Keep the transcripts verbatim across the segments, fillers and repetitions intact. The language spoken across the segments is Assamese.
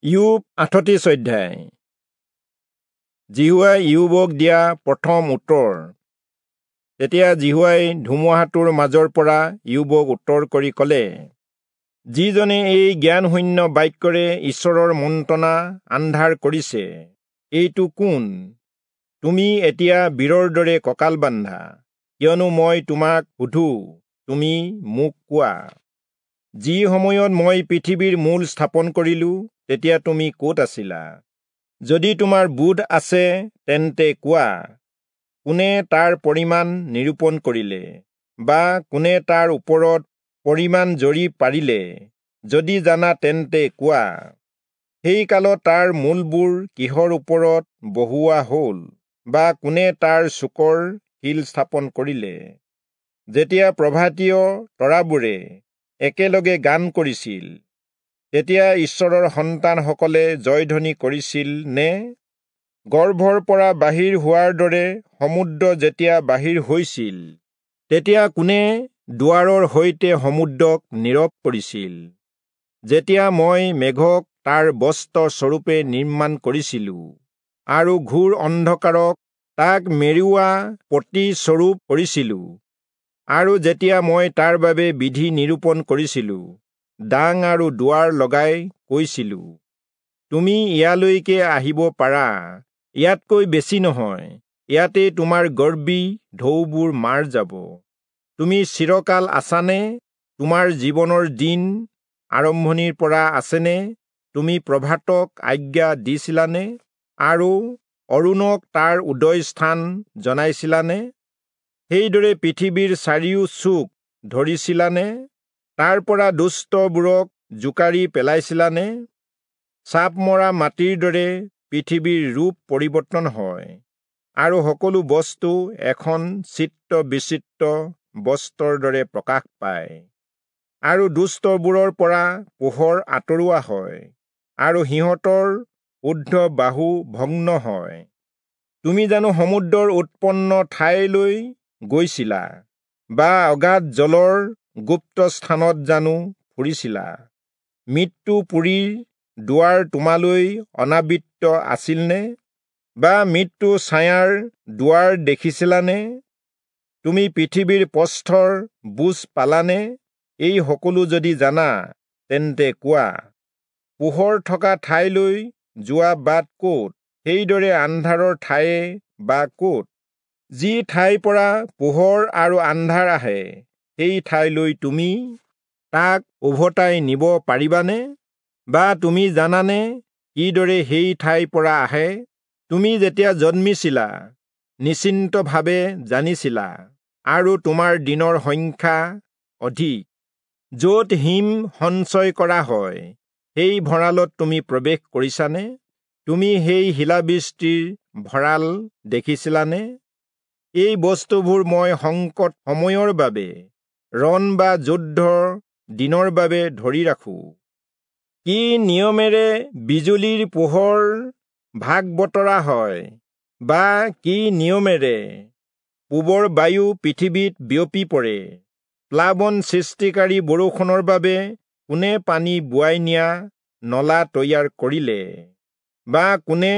ইয়োব আঠত্ৰিশ অধ্যায়। যিহোৱাই ইয়োবক দিয়া প্ৰথম উত্তৰ। তেতিয়া যিহোৱাই ধুমুহাটোৰ মাজৰ পৰা ইয়োবক উত্তৰ কৰি কলে, যিজনে এই জ্ঞানশূন্য বাক্যৰে ঈশ্বৰৰ মন্ত্ৰণা আন্ধাৰ কৰিছে, এইটো কোন? তুমি এতিয়া বীৰৰ দৰে কঁকাল বান্ধা, কিয়নো মই তোমাক সোধো, তুমি মোক কোৱা। যি সময়ত মই পৃথিৱীৰ মূল স্থাপন কৰিলো, তেতিয়া তুমি ক'ত আছিলা? যদি তোমাৰ বোধ আছে তেন্তে কোৱা, কোনে তাৰ পৰিমাণ নিৰূপণ কৰিলে, বা কোনে তাৰ ওপৰত পৰিমাণ জৰি পাৰিলে? যদি জানা তেন্তে কোৱা, সেই কালত তাৰ মূলবোৰ কিহৰ ওপৰত বহুওৱা হ'ল, বা কোনে তাৰ চুকৰ শিল স্থাপন কৰিলে? যেতিয়া প্ৰভাতীয় তৰাবোৰে একেলগে গান কৰিছিল, তেতিয়া ঈশ্বৰৰ সন্তানসকলে জয়ধ্বনি কৰিছিল নে? গৰ্ভৰ পৰা বাহিৰ হোৱাৰ দৰে সমুদ্ৰ যেতিয়া বাহিৰ হৈছিল, তেতিয়া কোনে দুৱাৰৰ সৈতে সমুদ্ৰক নীৰৱ কৰিছিল? যেতিয়া মই মেঘক তাৰ বস্ত্ৰ স্বৰূপে নিৰ্মাণ কৰিছিলো, আৰু ঘোৰ অন্ধকাৰক তাক মেৰুওৱা পটি স্বৰূপ কৰিছিলো, আৰু যেতিয়া মই তাৰ বাবে বিধি নিৰূপণ কৰিছিলো, ডাং আৰু দুৱাৰ লগাই কৈছিলো, তুমি ইয়ালৈকে আহিব পাৰা, ইয়াতকৈ বেছি নহয়, ইয়াতে তোমাৰ গৰ্বী ঢৌবোৰ মাৰ যাব। তুমি চিৰকাল আছানে? তোমাৰ জীৱনৰ দিন আৰম্ভণিৰ পৰা আছেনে? তুমি প্ৰভাতক আজ্ঞা দিছিলানে, আৰু অৰুণক তাৰ উদয়স্থান জনাইছিলানে? সেইদৰে পৃথিৱীৰ চাৰিও চুক ধৰিছিলানে? তাৰ পৰা দুষ্টবোৰক জোকাৰি পেলাইছিলানে? চাপ মৰা মাটিৰ দৰে পৃথিৱীৰ ৰূপ পৰিৱৰ্তন হয়, আৰু সকলো বস্তু এখন চিত্ৰ বিচিত্ৰ বস্ত্ৰৰ দৰে প্ৰকাশ পায়, আৰু দুষ্টবোৰৰ পৰা পোহৰ আঁতৰোৱা হয়, আৰু সিহঁতৰ ঊৰ্ধ্ব বাহু ভগ্ন হয়। তুমি জানো সমুদ্ৰৰ উৎপন্ন ঠাইলৈ গৈছিলা, বা অগাধ জলৰ গুপ্ত স্থানত জানো ফুৰিছিলা? মৃত্যুপুৰীৰ দুৱাৰ তোমালৈ অনাবৃত আছিলনে, বা মৃত্যু ছায়াৰ দুৱাৰ দেখিছিলানে? তুমি পৃথিৱীৰ প্ৰস্থৰ বুজ পালানে? এই সকলো যদি জানা তেন্তে কোৱা, পোহৰ থকা ঠাইলৈ যোৱা বাট ক'ত? সেইদৰে আন্ধাৰৰ ঠায়ে বা ক'ত? যি ঠাইৰ পৰা পোহৰ আৰু আন্ধাৰ আহে, সেই ঠাইলৈ তুমি তাক উভতাই নিব পাৰিবানে? বা তুমি জানানে কিদৰে সেই ঠাইৰ পৰা আহে? তুমি যেতিয়া জন্মিছিলা, নিশ্চিন্তভাৱে জানিছিলা, আৰু তোমাৰ দিনৰ সংখ্যা অধিক। য'ত হিম সঞ্চয় কৰা হয়, সেই ভঁৰালত তুমি প্ৰৱেশ কৰিছানে? তুমি সেই শিলাবৃষ্টিৰ ভঁৰাল দেখিছিলানে? এই বস্তুবোৰ মই সংকট সময়ৰ বাবে, ৰণ বা যুদ্ধৰ দিনৰ বাবে ধৰি ৰাখো। কি নিয়মেৰে বিজুলীৰ পোহৰ ভাগ বতৰা হয়, বা কি নিয়মেৰে পূবৰ বায়ু পৃথিৱীত বিয়পি পৰে? প্লাৱন সৃষ্টিকাৰী বৰষুণৰ বাবে কোনে পানী বোৱাই নিয়া নলা তৈয়াৰ কৰিলে, বা কোনে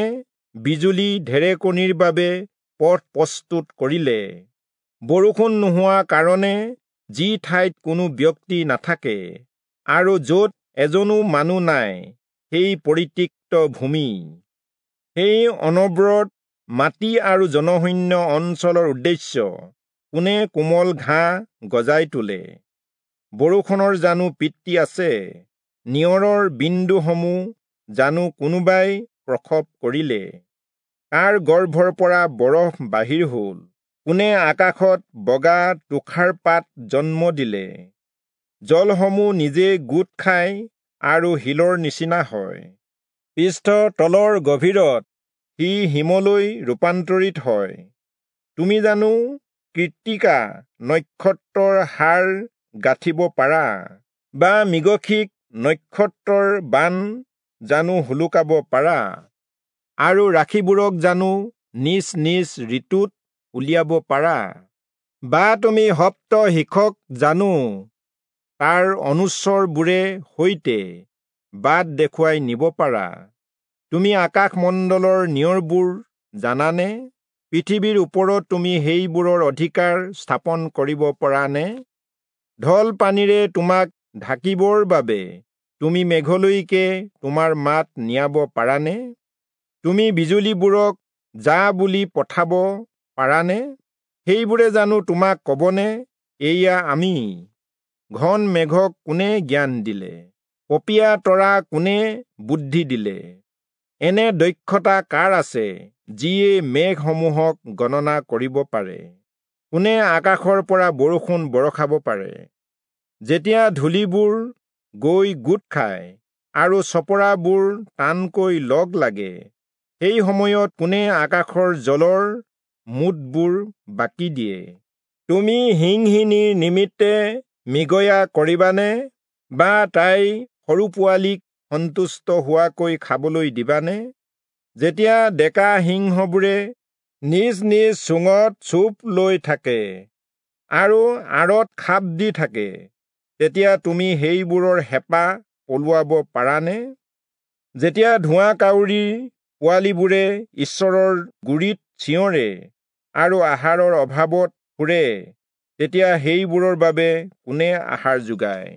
বিজুলী ঢেৰেকনিৰ বাবে পথ প্ৰস্তুত কৰিলে? বৰষুণ নোহোৱা কাৰণে যি ঠাইত কোনো ব্যক্তি নাথাকে, আৰু য'ত এজনো মানুহ নাই, সেই পৰিত্যক্ত ভূমি, সেই অনবৰত মাটি আৰু জনশূন্য অঞ্চলৰ উদ্দেশ্য কোনে কোমল ঘাঁহ গজাই তোলে? বৰষুণৰ জানো পিতৃ আছে? নিয়ৰৰ বিন্দুসমূহ জানো কোনোবাই প্ৰসৱ কৰিলে? কাৰ গৰ্ভৰ পৰা বৰফ বাহিৰ হ'ল? কোনে আকাশত বগা তুষাৰপাত জন্ম দিলে? জলসমূহ নিজে গোট খায় আৰু শিলৰ নিচিনা হয়, পৃষ্ঠ তলৰ গভীৰত সি হিমলৈ ৰূপান্তৰিত হয়। তুমি জানো কৃত্তিকা নক্ষত্ৰৰ হাৰ গাঁঠিব পাৰা, বা মৃগশিখ নক্ষত্ৰৰ বান জানো সোলোকাব পাৰা, আৰু ৰাশিবোৰক জানো নিজ নিজ ঋতুত উলিয়াব পাৰা? বা তুমি সপ্তৰ্ষিক জানো তাৰ অনুচৰবোৰে সৈতে বাট দেখুৱাই নিব পাৰা? তুমি আকাশমণ্ডলৰ নিয়ৰবোৰ জানানে? পৃথিৱীৰ ওপৰত তুমি সেইবোৰৰ অধিকাৰ স্থাপন কৰিব পৰা নে? ঢল পানীৰে তোমাক ঢাকিবৰ বাবে তুমি মেঘলৈকে তোমাৰ মাত নিয়াব পাৰানে? তুমি বিজুলীবোৰক যা বুলি পঠাব পাৰানে? সেইবোৰে জানো তোমাক কবনে, এইয়া আমি? ঘন মেঘক কোনে জ্ঞান দিলে? পপীয়া তৰা কোনে বুদ্ধি দিলে? এনে দক্ষতা কাৰ আছে যিয়ে মেঘসমূহক গণনা কৰিব পাৰে? কোনে আকাশৰ পৰা বৰষুণ বৰষাব পাৰে? যেতিয়া ধূলিবোৰ গৈ গোট খায় আৰু চপৰাবোৰ টানকৈ লগ লাগে, সেই সময়ত কোনে আকাশৰ জলৰ মুঠবোৰ বাকি দিয়ে? তুমি সিংহিনীৰ নিমিত্তে মৃগয়া কৰিবানে, বা তাইৰ সৰু পোৱালীক সন্তুষ্ট হোৱাকৈ খাবলৈ দিবানে? যেতিয়া ডেকা সিংহবোৰে নিজ নিজ চোঙত চোপ লৈ থাকে আৰু আঁৰত খাপ দি থাকে, তেতিয়া তুমি সেইবোৰৰ হেঁপাহ পলুৱাব পাৰানে? যেতিয়া ধোঁৱা কাউৰীৰ পোৱালীবোৰে ঈশ্বৰৰ গুৰিত চিঞৰে আৰু আহাৰৰ অভাৱত ফুৰে, তেতিয়া সেইবোৰৰ বাবে কোনে আহাৰ যোগায়?